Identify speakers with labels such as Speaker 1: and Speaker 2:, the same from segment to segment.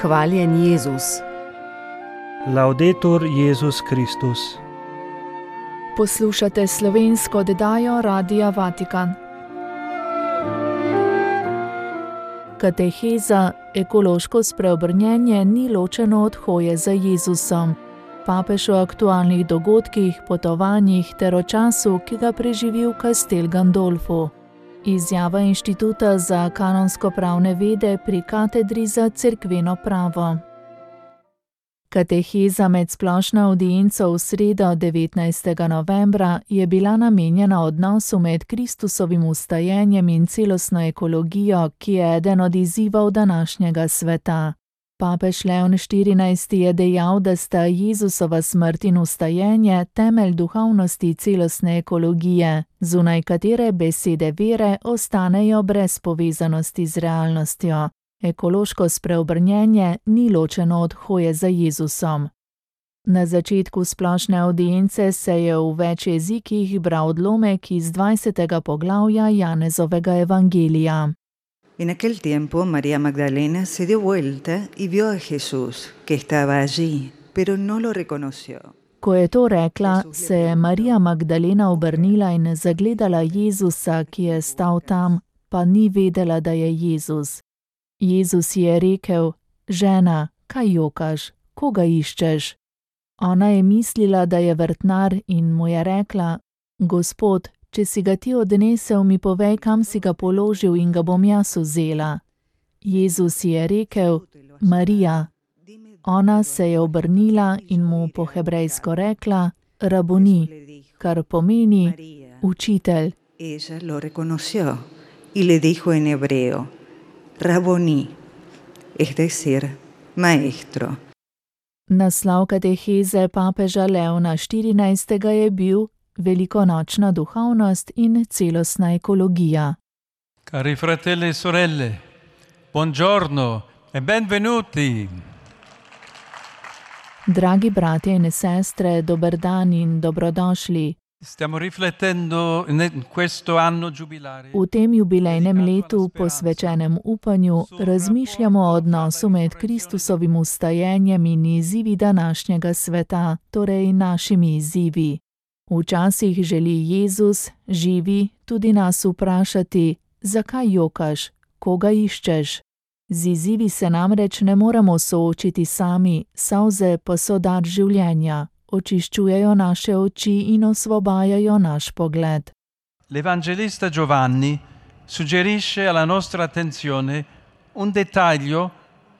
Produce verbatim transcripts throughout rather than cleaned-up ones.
Speaker 1: Hvaljen Jezus.
Speaker 2: Laudetur Jezus Kristus.
Speaker 3: Poslušate slovensko oddajo Radia Vatikan. Kateheza: ekološko spreobrnjenje ni ločeno od hoje za Jezusom. Papež o aktualnih dogodkih, potovanjih ter o času, ki ga preživi v Castel Gandolfu. Izjava Inštituta za kanonsko-pravne vede pri katedri za cerkveno pravo. Kateheza med splošno avdienco v sredo devetnajstega novembra je bila namenjena odnosu med Kristusovim vstajenjem in celostno ekologijo, ki je eden od izzivov današnjega sveta. Papež Leon štirinajsti je dejal, da sta Jezusova smrt in vstajenje temelj duhovnosti celostne ekologije, zunaj katere besede vere ostanejo brez povezanosti z realnostjo. Ekološko spreobrnjenje ni ločeno od hoje za Jezusom. Na začetku splošne avdience se je v več jezikih bral odlomek iz dvajsetega poglavja Janezovega evangelija.
Speaker 4: En aquel tiempo María Magdalena se dio vuelta y vio a Jesús, que estaba allí, pero no lo reconoció.
Speaker 3: Ko je to rekla, se je Marija Magdalena obrnila in zagledala Jezusa, ki je stal tam, pa ni vedela, da je Jezus. Jezus je rekel: žena, kaj jokaš, koga iščeš? Ona je mislila, da je vrtnar, in mu je rekla: Gospod, če si ga ti odnesel, mi povej, kam si ga položil, in ga bom jaz vzela. Jezus je rekel: Marija. Ona se je obrnila in mu po hebrejsko rekla: Raboni, kar pomeni učitelj.
Speaker 4: Ella lo reconoció y le dijo en hebreo: Raboni, es decir, maestro.
Speaker 3: Naslov kateheze papeža Leona štirinajstega je bil Velikonočna duhovnost in celostna ekologija.
Speaker 5: Cari fratelli e sorelle, buongiorno e benvenuti.
Speaker 3: Dragi bratje in sestre, dober dan in dobrodošli.
Speaker 5: Stiamo riflettendo in questo anno giubilare.
Speaker 3: V tem jubilejnem letu, posvečenem upanju, razmišljamo o odnosu med Kristusovim vstajenjem in izzivi današnjega sveta, torej našimi izzivi. Včasih želi Jezus, živi, tudi nas vprašati: zakaj jokaš, koga iščeš? Z izzivi se namreč ne moremo soočiti sami, solze pa so dar življenja, očiščujejo naše oči in osvobajajo naš pogled.
Speaker 5: L'Evangelista Giovanni suggerisce alla nostra attenzione un dettaglio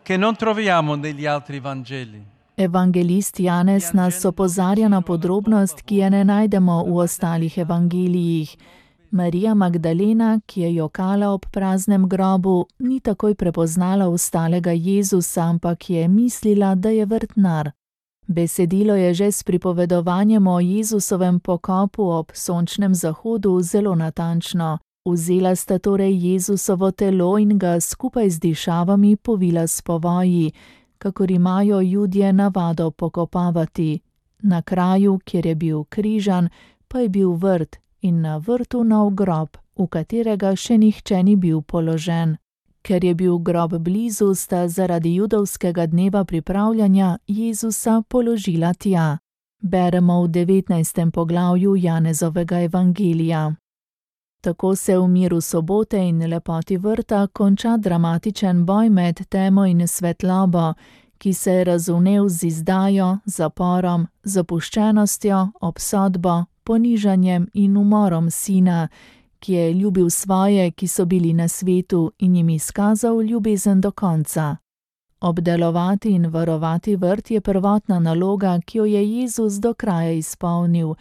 Speaker 5: che non troviamo negli altri Vangeli.
Speaker 3: Evangelist Janez nas opozarja na podrobnost, ki je ne najdemo v ostalih evangelijih. Marija Magdalena, ki je jokala ob praznem grobu, ni takoj prepoznala vstalega Jezusa, ampak je mislila, da je vrtnar. Besedilo je že s pripovedovanjem o Jezusovem pokopu ob sončnem zahodu zelo natančno. Vzela sta torej Jezusovo telo in ga skupaj z dišavami povila s povoji, kakor imajo Judje navado pokopavati. Na kraju, kjer je bil križan, pa je bil vrt in na vrtu nov grob, v katerega še nihče ni bil položen. Ker je bil grob blizu, sta zaradi judovskega dneva pripravljanja Jezusa položila tja. Beremo v devetnajstem poglavju Janezovega evangelija. Tako se v miru sobote in lepoti vrta konča dramatičen boj med temo in svetlobo, ki se je razvnel z izdajo, zaporom, zapuščenostjo, obsodbo, ponižanjem in umorom sina, ki je ljubil svoje, ki so bili na svetu, in jim izkazal ljubezen do konca. Obdelovati in varovati vrt je prvotna naloga, ki jo je Jezus do kraja izpolnil.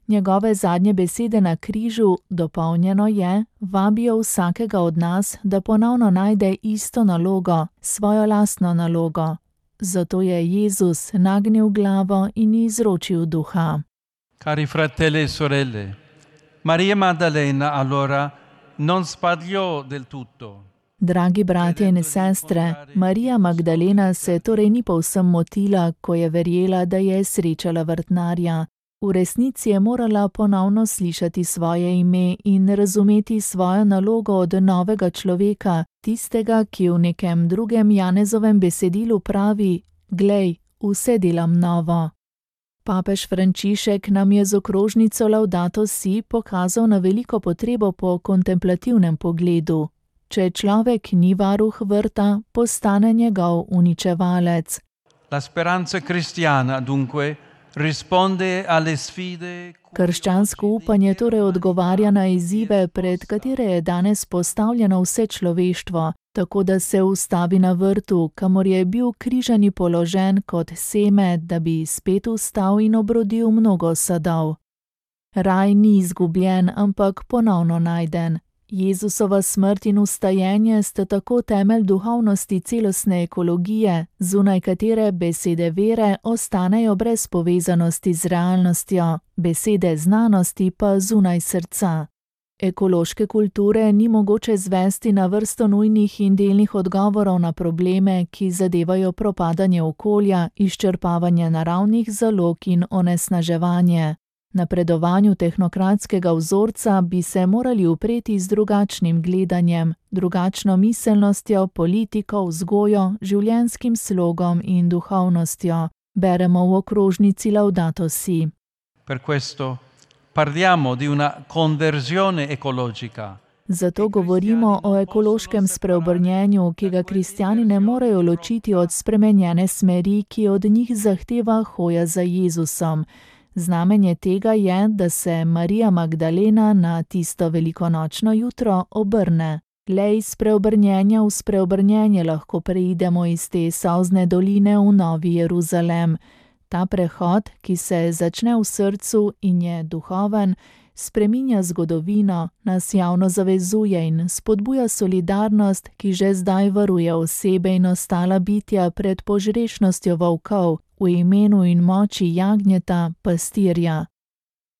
Speaker 3: Njegove zadnje besede na križu, dopolnjeno je, vabijo vsakega od nas, da ponovno najde isto nalogo, svojo lastno nalogo. Zato je Jezus nagnil glavo in izročil duha.
Speaker 5: Cari fratelli e sorelle, Maria Maddalena allora non sbagliò del tutto.
Speaker 3: Dragi bratje in sestre, Marija Magdalena se torej ni povsem motila, ko je verjela, da je srečala vrtnarja. V resnici je morala ponovno slišati svoje ime in razumeti svojo nalogo od novega človeka, Tistega, ki v nekem drugem Janezovem besedilu pravi: Glej, vse delam novo. Papež Frančišek nam je z okrožnico Laudato Si pokazal na veliko potrebo po kontemplativnem pogledu. Če človek ni varuh vrta, postane njegov uničevalec.
Speaker 5: La speranza cristiana, dunque, risponde alle sfide.
Speaker 3: Krščansko upanje torej odgovarja na izzive, pred katere je danes postavljeno vse človeštvo, tako da se ustavi na vrtu, kamor je bil križani položen kot seme, da bi spet vstal in obrodil mnogo sadov. Raj ni izgubljen, ampak ponovno najden. Jezusova smrt in vstajenje sta tako temelj duhovnosti celostne ekologije, zunaj katere besede vere ostanejo brez povezanosti z realnostjo, besede znanosti pa zunaj srca. Ekološke kulture ni mogoče zvesti na vrsto nujnih in delnih odgovorov na probleme, ki zadevajo propadanje okolja, izčrpavanje naravnih zalog in onesnaževanje. Napredovanju tehnokratskega vzorca bi se morali upreti z drugačnim gledanjem, drugačno miselnostjo, politiko, vzgojo, življenjskim slogom in duhovnostjo. Beremo v okrožnici Laudato Si.
Speaker 5: Per questo parliamo di una conversione ecologica.
Speaker 3: Zato govorimo o ekološkem spreobrnjenju, ki ga kristjani ne morejo ločiti od spremenjene smeri, ki od njih zahteva hoja za Jezusom. Znamenje tega je, da se Marija Magdalena na tisto velikonočno jutro obrne. Le iz spreobrnjenja v spreobrnjenje lahko preidemo iz te solzne doline v Novi Jeruzalem. Ta prehod, ki se začne v srcu in je duhoven, spreminja zgodovino, nas javno zavezuje in spodbuja solidarnost, ki že zdaj varuje osebe in ostala bitja pred požrešnostjo volkov, v imenu in moči jagnjeta, pastirja.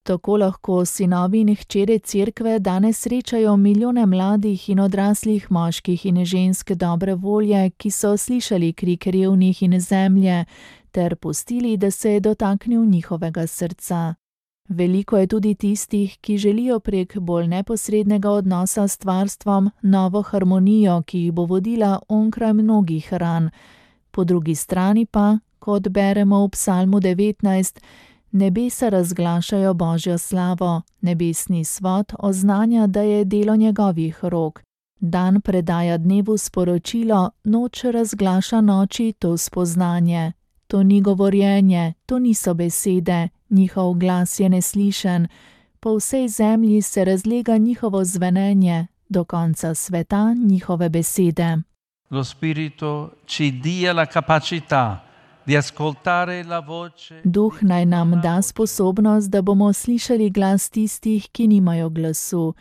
Speaker 3: Tako lahko sinovi in hčere cerkve danes srečajo milijone mladih in odraslih moških in žensk dobre volje, ki so slišali krik revnih in zemlje, ter pustili, da se je dotaknil njihovega srca. Veliko je tudi tistih, ki želijo prek bolj neposrednega odnosa s stvarstvom novo harmonijo, ki jih bo vodila onkraj mnogih ran. Po drugi strani pa, kot beremo v Psalmu devetnajst, nebesa razglašajo Božjo slavo, nebesni svod oznanja, da je delo njegovih rok. Dan predaja dnevu sporočilo, noč razglaša noči to spoznanje. To ni govorjenje, to niso besede, njihov glas je neslišen. Po vsej zemlji se razlega njihovo zvenenje, do konca sveta njihove besede.
Speaker 5: Lo Spirito ci dia la capacità di ascoltare la voce.
Speaker 3: Duh naj nam da sposobnost, da bomo slišali glas tistih, ki nimajo glasu.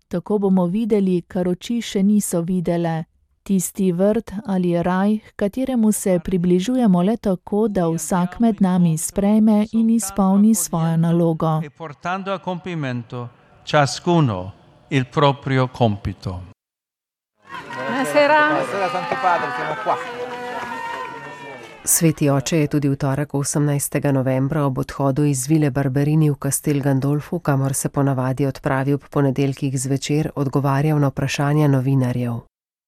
Speaker 3: Tako bomo videli, kar oči še niso videle. Tisti vrt ali raj, h kateremu se približujemo le tako, da vsak med nami sprejme in izpolni svojo nalogo.
Speaker 5: E portando a compimento ciascuno il proprio compito.
Speaker 1: Buonasera. Buonasera, Santo Padre, siamo qua.
Speaker 2: Sveti oče je tudi v torek osemnajstega novembra ob odhodu iz Vile Barberini v Castel Gandolfu, kamor se ponavadi odpravi ob ponedeljkih zvečer, odgovarjal na vprašanja novinarjev.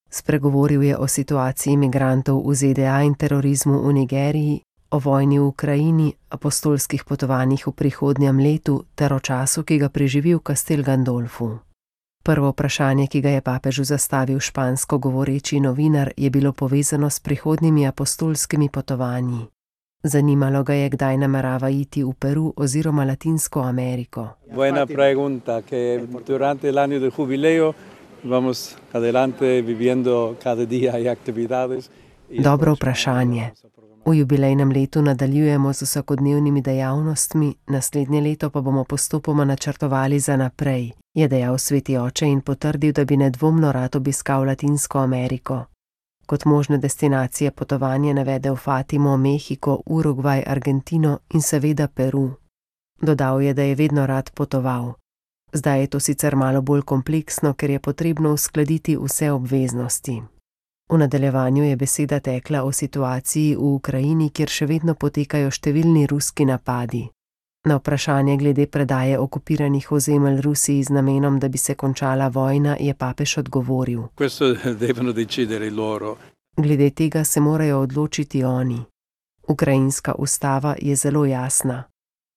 Speaker 2: Spregovoril je o situaciji imigrantov v Z D A in terorizmu v Nigeriji, o vojni v Ukrajini, apostolskih potovanjih v prihodnjem letu ter o času, ki ga preživi v Castel Gandolfu. Prvo vprašanje, ki ga je papežu zastavil špansko govoreči novinar, je bilo povezano s prihodnjimi apostolskimi potovanji. Zanimalo ga je, kdaj namerava iti v Peru oziroma Latinsko Ameriko.
Speaker 6: Buena pregunta, que durante el año del jubileo vamos adelante viviendo cada día y actividades.
Speaker 2: Dobro vprašanje. V jubilejnem letu nadaljujemo z vsakodnevnimi dejavnostmi, naslednje leto pa bomo postopoma načrtovali za naprej, je dejal sveti oče in potrdil, da bi nedvomno rad obiskal Latinsko Ameriko. Kot možne destinacije potovanje navedel Fatimo, Mehiko, Urugvaj, Argentino in seveda Peru. Dodal je, da je vedno rad potoval. Zdaj je to sicer malo bolj kompleksno, ker je potrebno uskladiti vse obveznosti. V nadaljevanju je beseda tekla o situaciji v Ukrajini, kjer še vedno potekajo številni ruski napadi. Na vprašanje glede predaje okupiranih ozemelj Rusiji z namenom, da bi se končala vojna, je papež odgovoril:
Speaker 6: Questo devono decidere loro.
Speaker 2: Glede tega se morajo odločiti oni. Ukrajinska ustava je zelo jasna.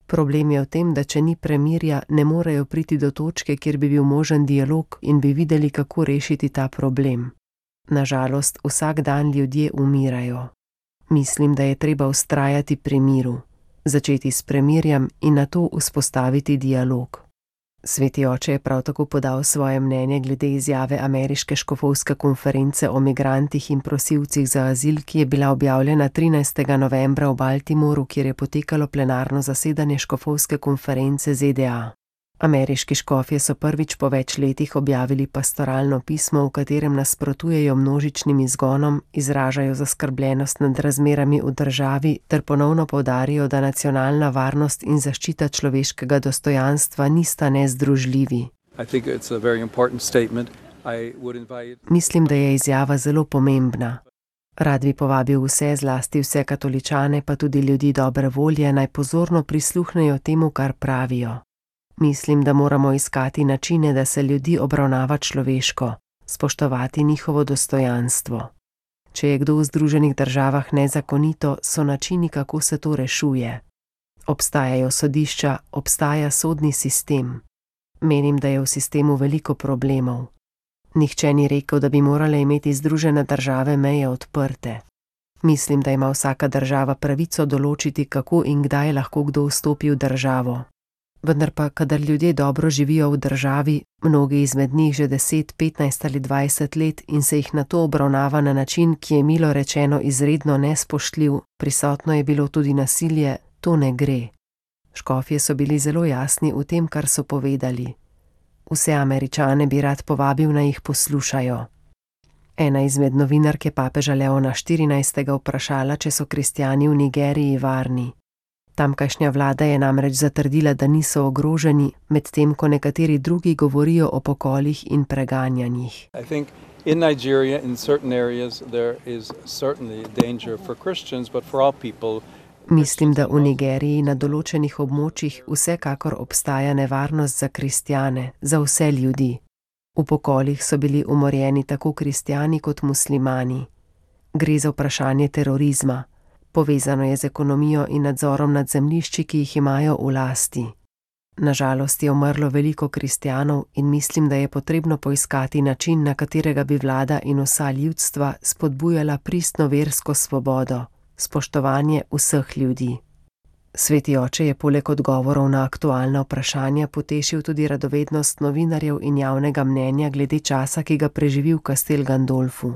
Speaker 2: Problem je v tem, da če ni premirja, ne morejo priti do točke, kjer bi bil možen dialog in bi videli, kako rešiti ta problem. Nažalost, vsak dan ljudje umirajo. Mislim, da je treba vztrajati pri miru, začeti s premirjem in nato vzpostaviti dialog. Sveti oče je prav tako podal svoje mnenje glede izjave Ameriške škofovske konference o migrantih in prosilcih za azil, ki je bila objavljena trinajstega novembra v Baltimoru, kjer je potekalo plenarno zasedanje škofovske konference Z D A. Ameriški škofje so prvič po več letih objavili pastoralno pismo, v katerem nasprotujejo množičnim izgonom, izražajo zaskrbljenost nad razmerami v državi ter ponovno poudarijo, da nacionalna varnost in zaščita človeškega dostojanstva nista nezdružljivi. Mislim, da je izjava zelo pomembna. Rad bi povabil vse, zlasti vse katoličane, pa tudi ljudi dobre volje, naj pozorno prisluhnejo temu, kar pravijo. Mislim, da moramo iskati načine, da se ljudi obravnava človeško, spoštovati njihovo dostojanstvo. Če je kdo v Združenih državah nezakonito, so načini, kako se to rešuje. Obstajajo sodišča, obstaja sodni sistem. Menim, da je v sistemu veliko problemov. Nihče ni rekel, da bi morale imeti Združene države meje odprte. Mislim, da ima vsaka država pravico določiti, kako in kdaj lahko kdo vstopi v državo. Vendar pa, kadar ljudje dobro živijo v državi, mnogi izmed njih že deset, petnajst ali dvajset let in se jih nato obravnava na način, ki je milo rečeno izredno nespoštljiv, prisotno je bilo tudi nasilje, to ne gre. Škofje so bili zelo jasni v tem, kar so povedali. Vse Američane bi rad povabil, naj jih poslušajo. Ena izmed novinark je papeža Leona štirinajstega vprašala, če so kristjani v Nigeriji varni. Tamkajšnja vlada je namreč zatrdila, da niso ogroženi, medtem ko nekateri drugi govorijo o pokolih in preganjanjih.
Speaker 6: In Nigeria, in certain areas, there is certainly danger for Christians, but for all people.
Speaker 2: Mislim, da v Nigeriji na določenih območjih vsekakor obstaja nevarnost za kristjane, za vse ljudi. V pokolih so bili umorjeni tako kristjani kot muslimani. Gre za vprašanje terorizma. Povezano je z ekonomijo in nadzorom nad zemljišči, ki jih imajo v lasti. Nažalost je umrlo veliko kristjanov in mislim, da je potrebno poiskati način, na katerega bi vlada in vsa ljudstva spodbujala pristno versko svobodo, spoštovanje vseh ljudi. Sveti oče je poleg odgovorov na aktualna vprašanja potešil tudi radovednost novinarjev in javnega mnenja glede časa, ki ga preživi v Castel Gandolfu.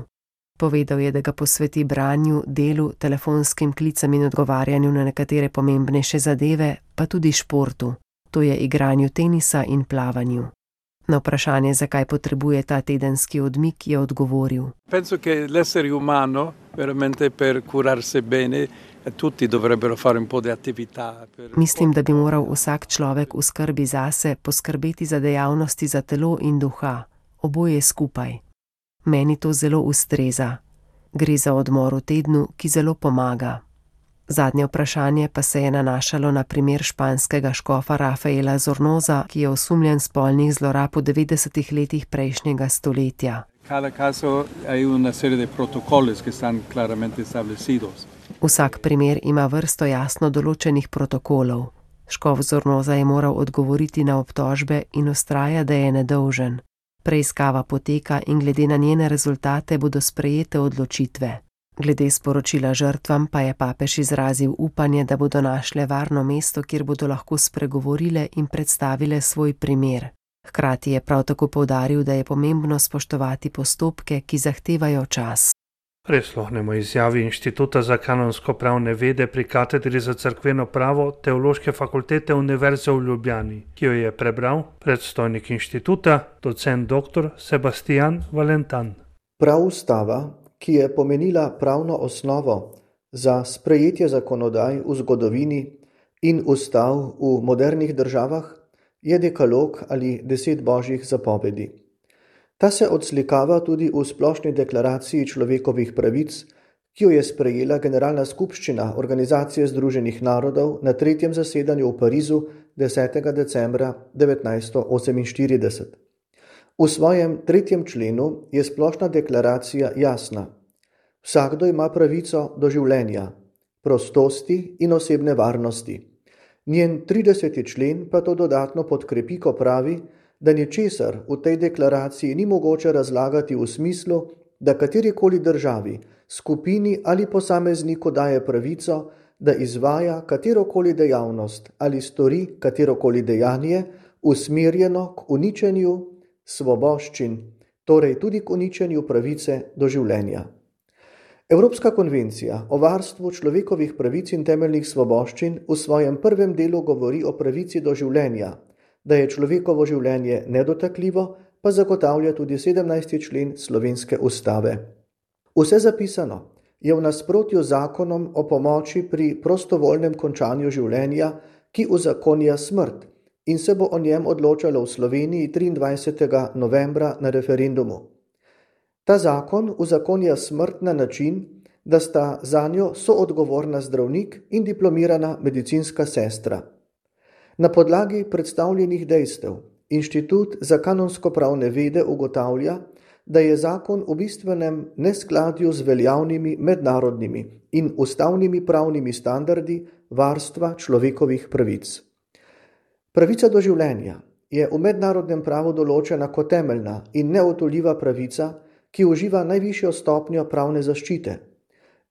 Speaker 2: Povedal je, da ga posveti branju, delu, telefonskim klicam in odgovarjanju na nekatere pomembnejše zadeve, pa tudi športu, to je igranju tenisa in plavanju. Na vprašanje, zakaj potrebuje ta tedenski odmik, je odgovoril:
Speaker 6: Penso che l'essere umano, veramente per curarsi bene, tutti dovrebbero fare un po' di attività.
Speaker 2: Mislim, da bi moral vsak človek v skrbi zase poskrbeti za dejavnosti za telo in duha, oboje skupaj. Meni to zelo ustreza. Gre za odmor v tednu, ki zelo pomaga. Zadnje vprašanje pa se je nanašalo na primer španskega škofa Rafaela Zornoza, ki je osumljen spolnih zlorab v devetdesetih letih prejšnjega stoletja.
Speaker 6: Cada caso hay una serie de protocolos que están claramente establecidos.
Speaker 2: Vsak primer ima vrsto jasno določenih protokolov. Škof Zornoza je moral odgovoriti na obtožbe in vztraja, da je nedolžen. Preiskava poteka in glede na njene rezultate bodo sprejete odločitve. Glede sporočila žrtvam pa je papež izrazil upanje, da bodo našle varno mesto, kjer bodo lahko spregovorile in predstavile svoj primer. Hkrati je prav tako poudaril, da je pomembno spoštovati postopke, ki zahtevajo čas.
Speaker 7: Prisluhnemo izjavi Inštituta za kanonsko-pravne vede pri katedri za cerkveno pravo Teološke fakultete Univerze v Ljubljani, ki jo je prebral predstojnik inštituta, docent doktor Sebastian Valentan.
Speaker 8: Prav ustava, ki je pomenila pravno osnovo za sprejetje zakonodaj v zgodovini in ustav v modernih državah, je dekalog ali deset božjih zapovedi. Ta se odslikava tudi v splošni deklaraciji človekovih pravic, ki jo je sprejela Generalna skupščina Organizacije združenih narodov na tretjem zasedanju v Parizu desetega decembra devetnajststo oseminštirideset. V svojem tretjem členu je splošna deklaracija jasna. Vsakdo ima pravico do življenja, prostosti in osebne varnosti. Njen trideseti člen pa to dodatno podkrepi, ko pravi, da ničesar v tej deklaraciji ni mogoče razlagati v smislu, da katerikoli državi, skupini ali posamezniku daje pravico, da izvaja katerokoli dejavnost ali stori katerokoli dejanje usmerjeno k uničenju svoboščin, torej tudi k uničenju pravice do življenja. Evropska konvencija o varstvu človekovih pravic in temeljnih svoboščin v svojem prvem delu govori o pravici do življenja, da je človekovo življenje nedotakljivo, pa zagotavlja tudi sedemnajsti člen slovenske ustave. Vse zapisano je v nasprotju z zakonom o pomoči pri prostovoljnem končanju življenja, ki uzakonja smrt in se bo o njem odločalo v Sloveniji triindvajsetega novembra na referendumu. Ta zakon uzakonja smrt na način, da sta zanjo soodgovorna zdravnik in diplomirana medicinska sestra. Na podlagi predstavljenih dejstev Inštitut za kanonsko-pravne vede ugotavlja, da je zakon v bistvenem neskladju z veljavnimi mednarodnimi in ustavnimi pravnimi standardi varstva človekovih pravic. Pravica do življenja je v mednarodnem pravu določena kot temeljna in neodtujljiva pravica, ki uživa najvišjo stopnjo pravne zaščite.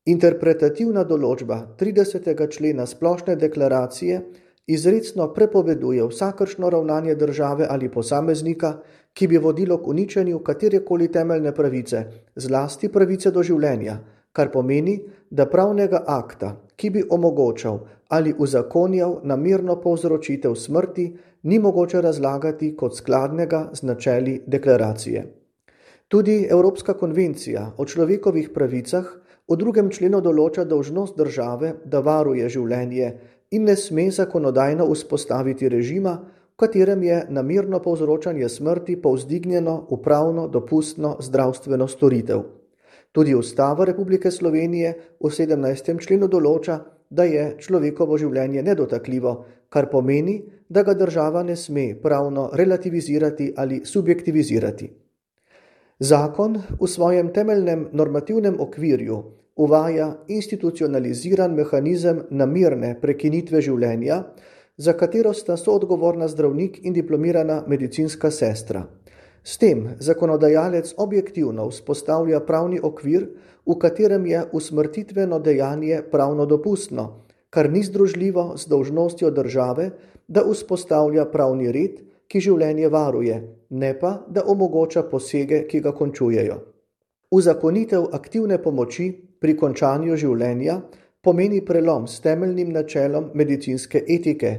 Speaker 8: Interpretativna določba tridesetega člena splošne deklaracije izrecno prepoveduje vsakršno ravnanje države ali posameznika, ki bi vodilo k uničenju katerekoli temeljne pravice, zlasti pravice do življenja, kar pomeni, da pravnega akta, ki bi omogočal ali uzakonjal namerno povzročitev smrti, ni mogoče razlagati kot skladnega z načeli deklaracije. Tudi Evropska konvencija o človekovih pravicah v drugem členu določa dolžnost države, da varuje življenje in ne sme zakonodajno vzpostaviti režima, v katerem je namerno povzročanje smrti povzdignjeno v pravno dopustno zdravstveno storitev. Tudi Ustava Republike Slovenije v sedemnajstem členu določa, da je človekovo življenje nedotakljivo, kar pomeni, da ga država ne sme pravno relativizirati ali subjektivizirati. Zakon v svojem temeljnem normativnem okvirju uvaja institucionaliziran mehanizem namirne prekinitve življenja, za katero sta soodgovorna zdravnik in diplomirana medicinska sestra. S tem zakonodajalec objektivno vzpostavlja pravni okvir, v katerem je usmrtitveno dejanje pravno dopustno, kar ni združljivo z dolžnostjo države, da vzpostavlja pravni red, ki življenje varuje, ne pa, da omogoča posege, ki ga končujejo. Uzakonitev aktivne pomoči pri končanju življenja pomeni prelom s temeljnim načelom medicinske etike,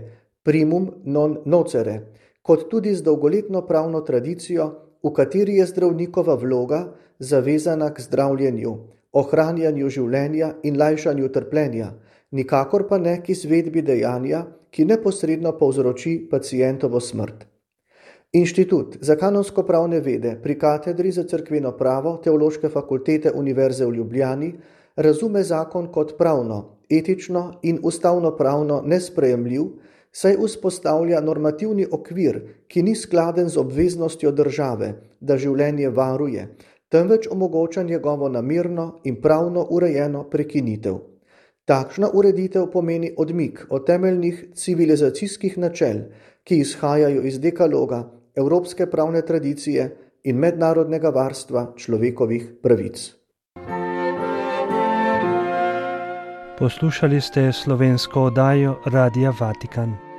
Speaker 8: primum non nocere, kot tudi z dolgoletno pravno tradicijo, v kateri je zdravnikova vloga zavezana k zdravljenju, ohranjanju življenja in lajšanju trpljenja, nikakor pa ne k izvedbi dejanja, ki neposredno povzroči pacientovo smrt. Inštitut za kanonsko-pravne vede pri katedri za cerkveno pravo Teološke fakultete Univerze v Ljubljani razume zakon kot pravno, etično in ustavno-pravno nesprejemljiv, saj vzpostavlja normativni okvir, ki ni skladen z obveznostjo države, da življenje varuje, temveč omogoča njegovo namerno in pravno urejeno prekinitev. Takšna ureditev pomeni odmik od temeljnih civilizacijskih načel, ki izhajajo iz dekaloga, evropske pravne tradicije in mednarodnega varstva človekovih pravic.
Speaker 7: Poslušali ste slovensko oddajo Radia Vatikan.